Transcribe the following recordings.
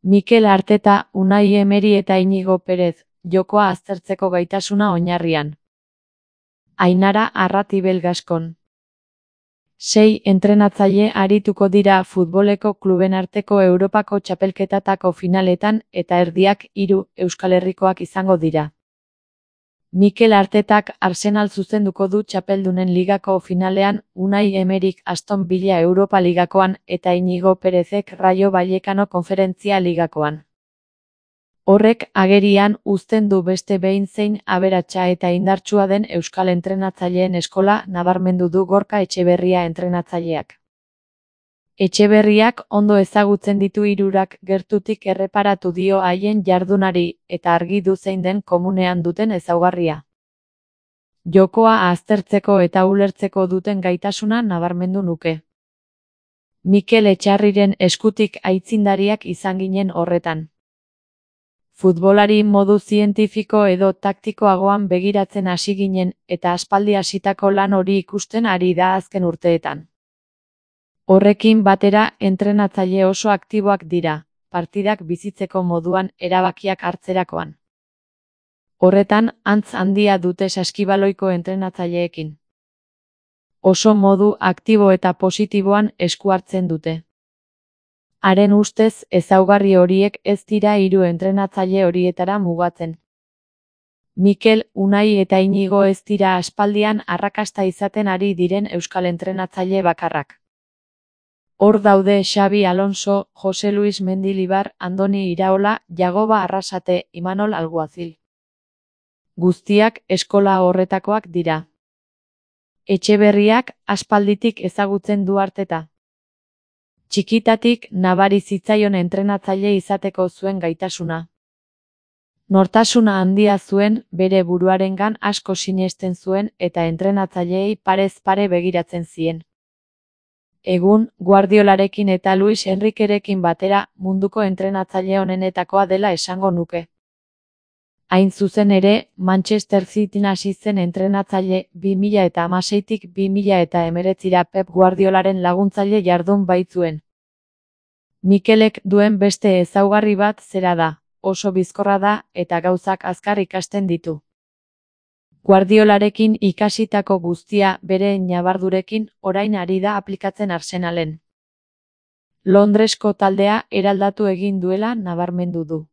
Mikel Arteta, Unai Emery eta Iñigo Pérez, jokoa aztertzeko gaitasuna oinarrian. Ainara Arratibel Gaskon. 6 entrenatzaile arituko dira futboleko kluben arteko Europako txapelketatako finaletan eta erdiak 3 Euskal Herrikoak izango dira. Mikel Artetak Arsenal zuzenduko du Txapeldunen Ligako finalean, Unai Emeryk Aston Villa Europa Ligakoan eta Iñigo Pérezek Rayo Vallecano Konferentzia Ligakoan. Horrek agerian uzten du beste behin zein aberatsa eta indartsua den euskal entrenatzaileen eskola nabarmendu du Gorka Etxeberria entrenatzaileak. Etxeberriak ondo ezagutzen ditu hirurak gertutik erreparatu dio haien jardunari eta argi du zein den komunean duten ezaugarria. Jokoa aztertzeko eta ulertzeko duten gaitasuna nabarmendu nuke. Mikel Etxarriren eskutik aitzindariak izan ginen horretan. Futbolari modu zientifiko edo taktikoagoan begiratzen hasi ginen eta aspaldi hasitako lan hori ikusten ari da azken urteetan. Horrekin batera entrenatzaile oso aktiboak dira, partidak bizitzeko moduan erabakiak hartzerakoan. Horretan, antz handia dute saskibaloiko entrenatzaileekin. Oso modu aktibo eta positiboan esku hartzen dute. Haren ustez, ezaugarri horiek ez dira 3 entrenatzaile horietara mugatzen. Mikel, Unai eta Iñigo ez dira aspaldian arrakasta izaten ari diren euskal entrenatzaile bakarrak. Hor daude Xabi Alonso, Jose Luis Mendilibar, Andoni Iraola, Jagoba Arrasate, Imanol Alguazil. Guztiak eskola horretakoak dira. Etxeberriak aspalditik ezagutzen du Arteta. Txikitatik nabari zitzaion entrenatzaile izateko zuen gaitasuna. Nortasuna handia zuen, bere buruarengan asko sinesten zuen eta entrenatzaileei parez pare begiratzen zien. Egun, Guardiolarekin eta Luis Enrikerekin batera munduko entrenatzaile onenetakoa dela esango nuke. Hain zuzen ere, Manchester Cityn hasi zen entrenatzaile 2016tik 2019ra Pep Guardiolaren laguntzaile jardun baitzuen. Mikelek duen beste ezaugarri bat zera da, oso bizkorra da eta gauzak azkar ikasten ditu. Guardiolarekin ikasitako guztia bere ñabardurekin orain ari da aplikatzen Arsenalen. Londresko taldea eraldatu egin duela nabarmendu du.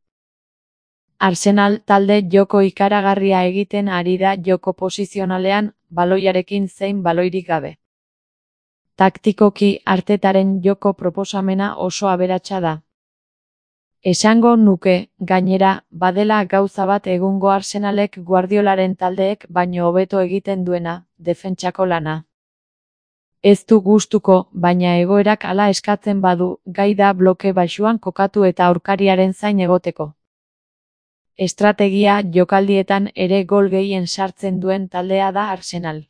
Arsenal talde joko ikaragarria egiten ari da joko posizionalean, baloiarekin zein baloirik gabe. Taktikoki Artetaren joko proposamena oso aberatsa da. Esango nuke, gainera, badela gauza bat egungo Arsenalek Guardiolaren taldeek baino hobeto egiten duena, defentsako lana. Ez du gustuko, baina egoerak hala eskatzen badu, gai da bloke baxuan kokatu eta aurkariaren zain egoteko. Estrategia jokaldietan ere gol gehien sartzen duen taldea da Arsenal.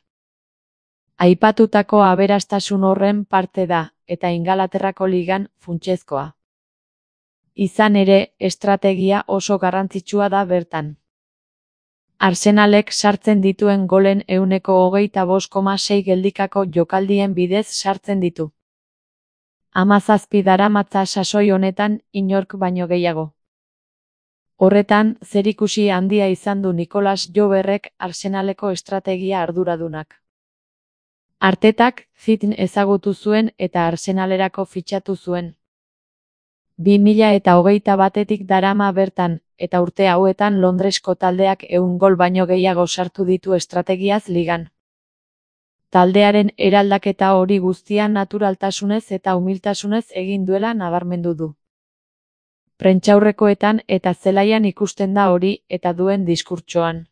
Aipatutako aberastasun horren parte da, eta Ingalaterrako ligan funtsezkoa. Izan ere, estrategia oso garrantzitsua da bertan. Arsenalek sartzen dituen golen 25,6 geldikako jokaldien bidez sartzen ditu. 17 daramatza sasoi honetan inork baino gehiago. Horretan, zerikusi handia izan du Nicolas Joverrek Arsenaleko estrategia arduradunak. Artetak Cityn ezagutu zuen eta Arsenalerako fitxatu zuen. 2021etik darama bertan, eta urte hauetan Londresko taldeak 100 gol baino gehiago sartu ditu estrategiaz ligan. Taldearen eraldaketa hori guztia naturaltasunez eta umiltasunez egin duela nabarmendu du. Prentsaurrekoetan eta zelaian ikusten da hori eta duen diskurtsoan.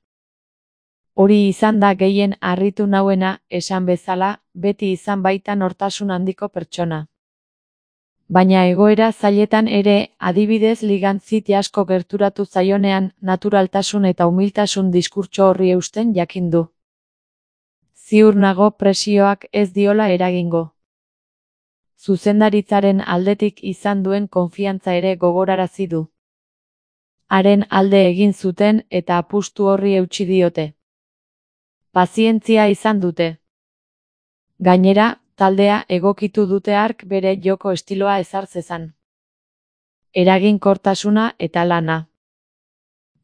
Hori izan da gehien harritu nauena, esan bezala, beti izan baita nortasun handiko pertsona. Baina egoera zailetan ere, adibidez ligan City asko gerturatu zaionean, naturaltasun eta umiltasun diskurtso horri eusten jakin du. Ziur nago presioak ez diola eragingo. Zuzendaritzaren aldetik izan duen konfiantza ere gogorarazi du. Haren alde egin zuten eta apustu horri eutsi diote. Pazientzia izan dute. Gainera, taldea egokitu dute hark bere joko estiloa ezar zezan. eraginkortasuna eta lana.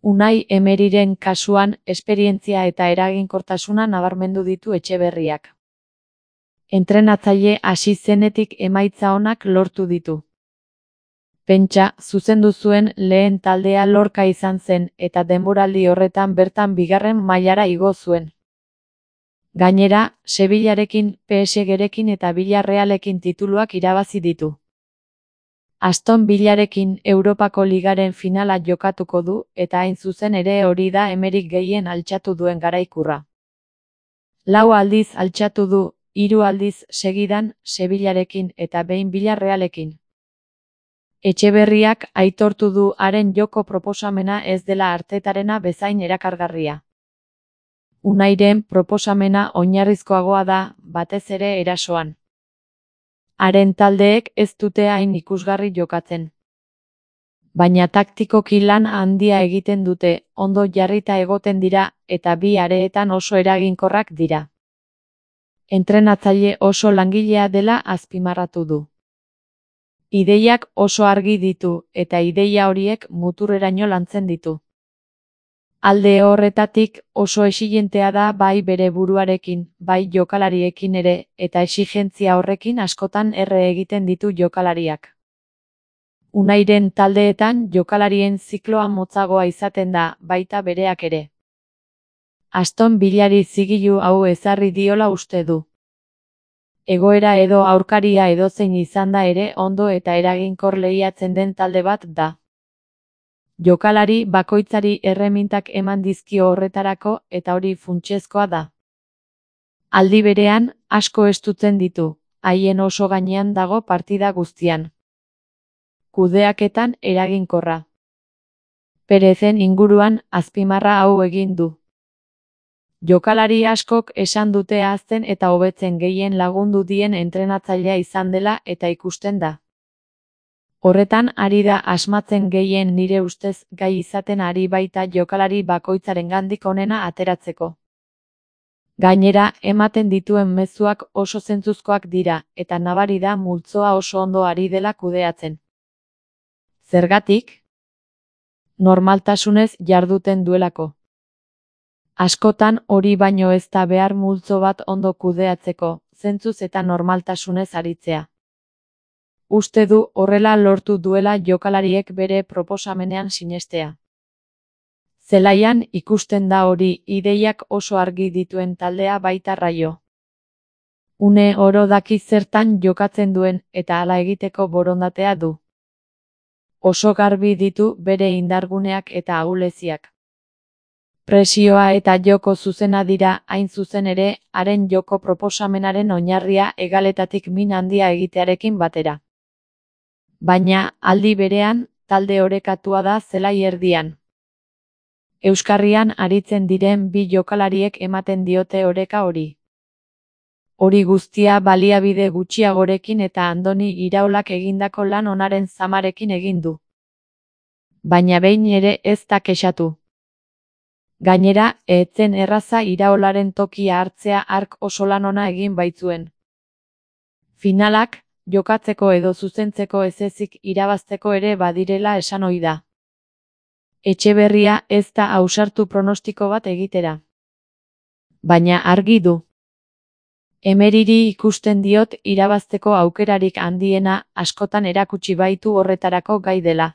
Unai Emeriren kasuan, esperientzia eta eraginkortasuna nabarmendu ditu Etxeberriak. Entrenatzaile hasi zenetik emaitza onak lortu ditu. Pentsa, zuzendu zuen lehen taldea Lorca izan zen eta denboraldi horretan bertan bigarren mailara igo zuen. Gainera, Sevillarekin, PSG-rekin eta Villarrealekin tituluak irabazi ditu. Aston Villarekin Europako Ligaren finala jokatuko du eta hain zuzen ere hori da Emerik gehien altxatu duen garaikurra. 4 aldiz altxatu du, 3 aldiz segidan Sevillarekin eta behin Villarrealekin. Etxeberriak aitortu du haren joko proposamena ez dela Artetarena bezain erakargarria. Unairen proposamena oinarrizkoagoa da, batez ere erasoan. Haren taldeek ez dute hain ikusgarri jokatzen. Baina taktikoki lan handia egiten dute, ondo jarrita egoten dira, eta bi areetan oso eraginkorrak dira. Entrenatzaile oso langilea dela azpimarratu du. Ideiak oso argi ditu, eta ideia horiek muturreraino lantzen ditu. Alde horretatik oso exigentea da bai bere buruarekin, bai jokalariekin ere, eta exigentzia horrekin askotan erre egiten ditu jokalariak. Unairen taldeetan jokalarien zikloa motzagoa izaten da, baita bereak ere. Aston Villari zigilu hau ezarri diola uste du. Egoera edo aurkaria edozein izan da ere ondo eta eraginkor lehiatzen den talde bat da. Jokalari bakoitzari erremintak eman dizkio horretarako eta hori funtsezkoa da. Aldi berean, asko estutzen ditu, haien oso gainean dago partida guztian. Kudeaketan eraginkorra. Perezen inguruan azpimarra hau egin du. Jokalari askok esan dute hazten eta hobetzen gehien lagundu dien entrenatzailea izan dela eta ikusten da. Horretan ari da asmatzen gehien nire ustez gai izaten ari baita jokalari bakoitzarengandik onena ateratzeko. Gainera, ematen dituen mezuak oso zentzuzkoak dira, eta nabari da multzoa oso ondo ari dela kudeatzen. Zergatik? Normaltasunez jarduten duelako. Askotan hori baino ez da behar multzo bat ondo kudeatzeko, zentzuz eta normaltasunez aritzea. Uste du horrela lortu duela jokalariek bere proposamenean sinestea. Zelaian ikusten da hori ideiak oso argi dituen taldea baita Raio. Une oro daki zertan jokatzen duen eta hala egiteko borondatea du. Oso garbi ditu bere indarguneak eta ahuleziak. Presioa eta joko zuzena dira hain zuzen ere, haren joko proposamenaren oinarria hegaletatik min handia egitearekin batera. Baina, aldi berean, talde orekatua da zelai erdian. Euskarrian aritzen diren bi jokalariek ematen diote oreka hori. Hori guztia baliabide gutxiagorekin eta Andoni Iraolak egindako lan onaren zamarekin egin du. Baina behin ere ez da kexatu. Gainera, ez zen erraza Iraolaren tokia hartzea hark oso lan ona egin baitzuen. Finalak, jokatzeko edo zuzentzeko ezezik irabazteko ere badirela esan ohi da. Etxeberria ez da ausartu pronostiko bat egitera. Baina argi du. Emeriri ikusten diot irabazteko aukerarik handiena askotan erakutsi baitu horretarako gai dela.